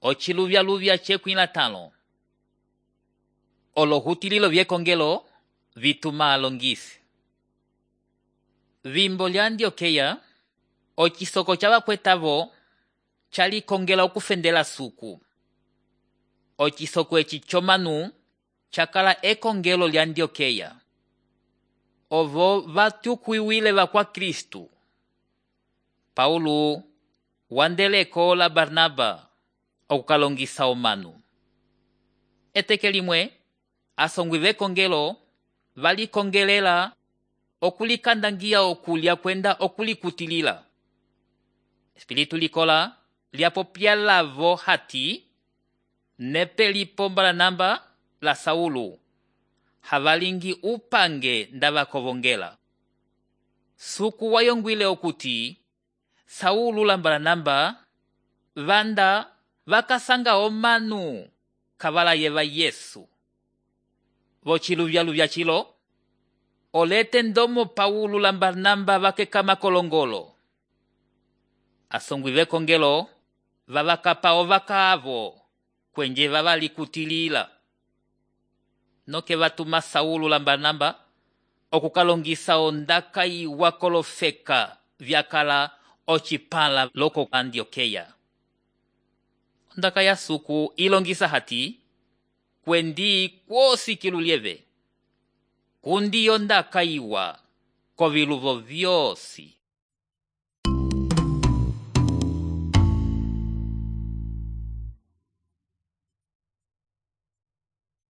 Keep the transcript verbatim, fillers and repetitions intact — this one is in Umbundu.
Ociluvyaluvya cekwĩ latãlo. Olohutililo vyekongelo vituma alongisi. Vimbo lya Antiokeya, ocisoko ca vakwetavo calikongela okufendela suku. Ocisoko eci comanu cakala ekongelo lya Antiokeya. Ovo vatyukuiwile vakwa Kristu. Paulo wandeleko la Barnaba okukalongisa omanu. Eteke limwe, asongwi vekongelo valikongelela okulikandangiya okulya kwenda okulikutilila. Espiritu likola lyapopya lavo hati nepe lipo Baranaba la Saulo havalingi upange ndavakovongela. Suku wayongwile okuti Saulo la Baranaba vanda vakasanga omanu kavalayeva Yesu. Vociluvyaluvya cilo, olete ndomo Paulo la Barnaba vakekama kolongolo. Asongwi vekongelo vavakapa ovaka avo kwenje vavalikutilila. Noke vatuma Saulo la Barnaba okukalongisa ondaka iwa kolofeka vyakala ocipãla loko Antiokeya. Ondaka ya suku ilongisa hati kwendi kwosi kilulieve. Kundi ondaka iwa koviluvo vyosi.